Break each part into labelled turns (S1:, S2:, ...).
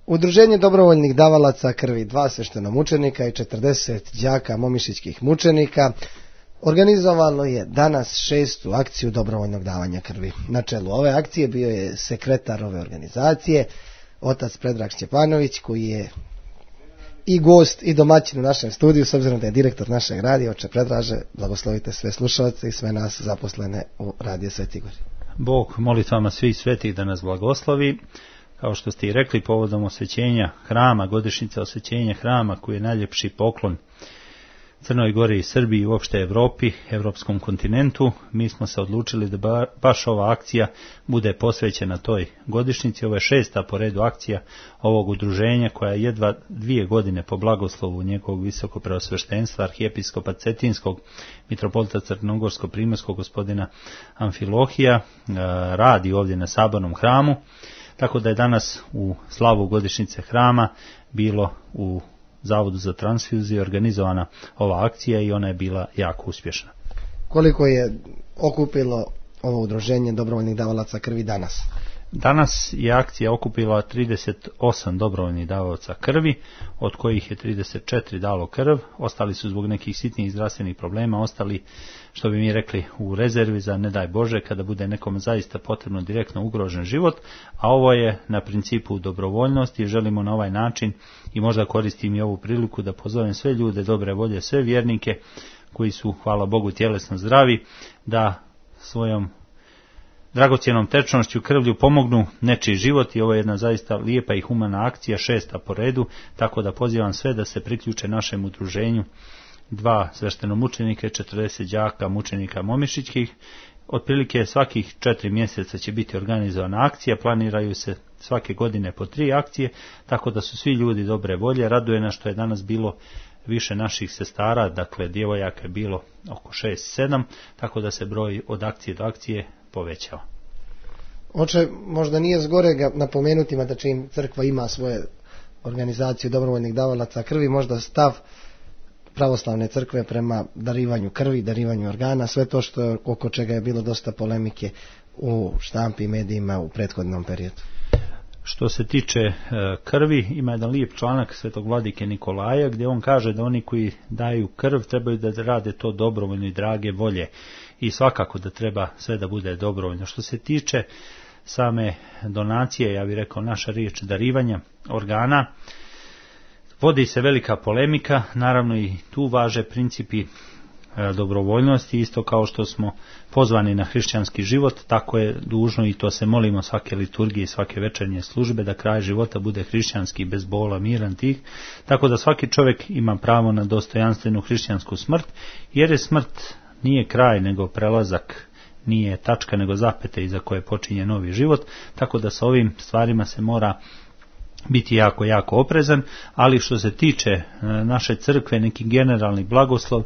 S1: Udruženje dobrovoljnih davalaca krvi, 2 sveštenomučenika i 40 đaka momišićkih mučenika organizovalo je danas 6. akciju dobrovoljnog davanja krvi. Na čelu ove akcije bio je sekretar ove organizacije, otac Predrag Šćepanović, koji je i gost i domaćin u našem studiju, s obzirom da je direktor našeg radija. Oče Predraže, blagoslovite sve slušalce i sve nas zaposlene u Radiju Sveti Igor.
S2: Bog molitvama svih svetih da nas blagoslovi. Kao što ste i rekli, povodom osvećenja hrama, godišnjica osvećenja hrama, koji je najljepši poklon Crnoj Gori i Srbiji i uopšte Evropi, evropskom kontinentu, mi smo se odlučili da baš ova akcija bude posvećena toj godišnjici. Ovo je 6. po redu akcija ovog udruženja, koja je jedva 2 godine po blagoslovu njegovog visokopreosveštenstva arhijepiskopa Cetinskog, mitropolita Crnogorsko-primorskog gospodina Amfilohija, radi ovdje na Sabornom hramu. Tako da je danas u slavu godišnjice hrama bilo u Zavodu za transfuziju organizovana ova akcija i ona je bila jako uspješna.
S1: Koliko je okupilo ovo udruženje dobrovoljnih davalaca krvi danas?
S2: Danas je akcija okupila 38 dobrovoljnih davalaca krvi, od kojih je 34 dalo krv, ostali su zbog nekih sitnih zdravstvenih problema, ostali, što bi mi rekli, u rezervi za ne daj Bože kada bude nekom zaista potrebno direktno ugrožen život, a ovo je na principu dobrovoljnosti i želimo na ovaj način, i možda koristim i ovu priliku da pozovem sve ljude dobre volje, sve vjernike koji su, hvala Bogu, tjelesno zdravi, da svojom dragocjenom tečnošću krvlju pomognu nečiji život. I ovo je jedna zaista lijepa i humana akcija, 6. po redu, tako da pozivam sve da se priključe našem udruženju, 2 sveštenomučenika i 40 đaka mučenika momišićkih. Otprilike svakih 4 mjeseca će biti organizovana akcija, planiraju se svake godine po 3 akcije, tako da su svi ljudi dobre volje. Raduje nas što je danas bilo više naših sestara, dakle djevojaka je bilo oko 6-7, tako da se broj od akcije do akcije povećao.
S1: Oče, možda nije zgorega napomenuti, da čim crkva ima svoje organizacije dobrovoljnih davalaca krvi, možda stav pravoslavne crkve prema darivanju krvi, darivanju organa, sve to što oko čega je bilo dosta polemike u štampi i medijima u prethodnom periodu.
S2: Što se tiče krvi, ima jedan lijep članak svetog vladike Nikolaja gdje on kaže da oni koji daju krv trebaju da rade to dobrovoljno i drage volje, i svakako da treba sve da bude dobrovoljno. Što se tiče same donacije, ja bih rekao naša riječ darivanja organa, vodi se velika polemika, naravno i tu važe principi dobrovoljnosti, isto kao što smo pozvani na hrišćanski život, tako je dužno, i to se molimo svake liturgije i svake večernje službe, da kraj života bude hrišćanski, bez bola, miran, tih, tako da svaki čovjek ima pravo na dostojanstvenu hrišćansku smrt, jer je smrt nije kraj nego prelazak, nije tačka nego zapete iza koje počinje novi život, tako da sa ovim stvarima se mora biti jako, jako oprezan. Ali što se tiče naše crkve, neki generalni blagoslov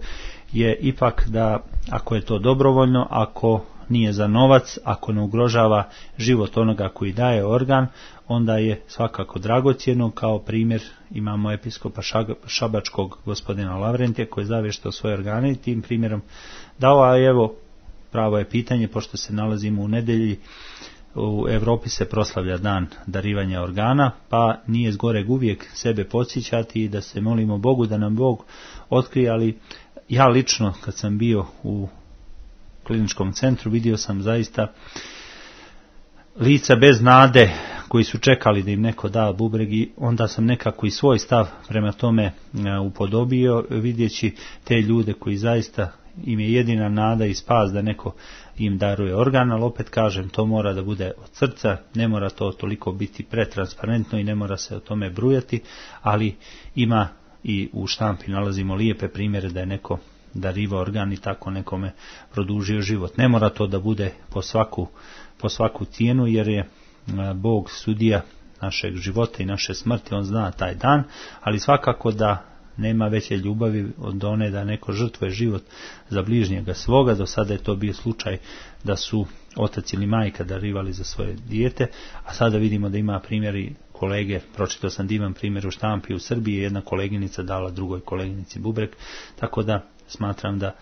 S2: je ipak da ako je to dobrovoljno, ako nije za novac, ako ne ugrožava život onoga koji daje organ, onda je svakako dragocjeno. Kao primjer imamo episkopa šabačkog gospodina Lavrentija koji je zavještao svoje organe i tim primjerom dao. A evo, pravo je pitanje, pošto se nalazimo u nedjelji, u Europi se proslavlja dan darivanja organa, pa nije zgoreg uvijek sebe podsjećati i da se molimo Bogu da nam Bog otkrije. Ali ja lično, kad sam bio u kliničkom centru, vidio sam zaista lica bez nade koji su čekali da im neko da bubreg, i onda sam nekako i svoj stav prema tome upodobio, vidjeći te ljude koji zaista im je jedina nada i spas da neko im daruje organ. Ali opet kažem, to mora da bude od srca, ne mora to toliko biti pretransparentno i ne mora se o tome brujati, ali ima i u štampi nalazimo lijepe primjere da je neko darivao organ i tako nekome produžio život. Ne mora to da bude po svaku cijenu, jer je Bog sudija našeg života i naše smrti, on zna taj dan, ali svakako da nema veće ljubavi od one da neko žrtvuje život za bližnjega svoga. Do sada je to bio slučaj da su otac ili majka darivali za svoje dijete, a sada vidimo da ima primjeri kolege, pročitao sam divan primjer u štampi u Srbiji, jedna koleginica dala drugoj koleginici bubreg, tako da smatram da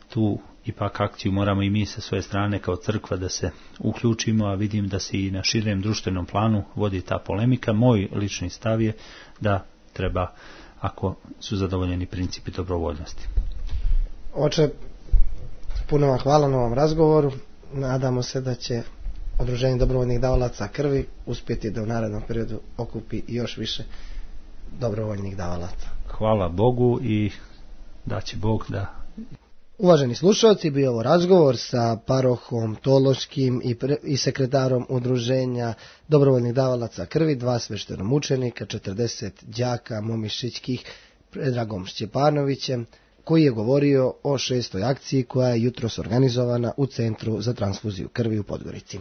S2: tu ipak akciju moramo i mi sa svoje strane kao crkva da se uključimo, a vidim da se i na širem društvenom planu vodi ta polemika. Moj lični stav je da treba, ako su zadovoljeni principi dobrovoljnosti.
S1: Oče, puno vam hvala na ovom razgovoru. Nadamo se da će Udruženje dobrovoljnih davalaca krvi uspjeti da u narednom periodu okupi još više dobrovoljnih davalaca.
S2: Hvala Bogu i da će Bog da...
S1: Uvaženi slušalci, bio ovo razgovor sa parohom Tološkim i sekretarom Udruženja dobrovoljnih davalaca krvi, 2 sveštenomučenika, 40 đaka momišićkih, Predragom Šćepanovićem, koji je govorio o 6. akciji koja je jutros organizovana u Centru za transfuziju krvi u Podgorici.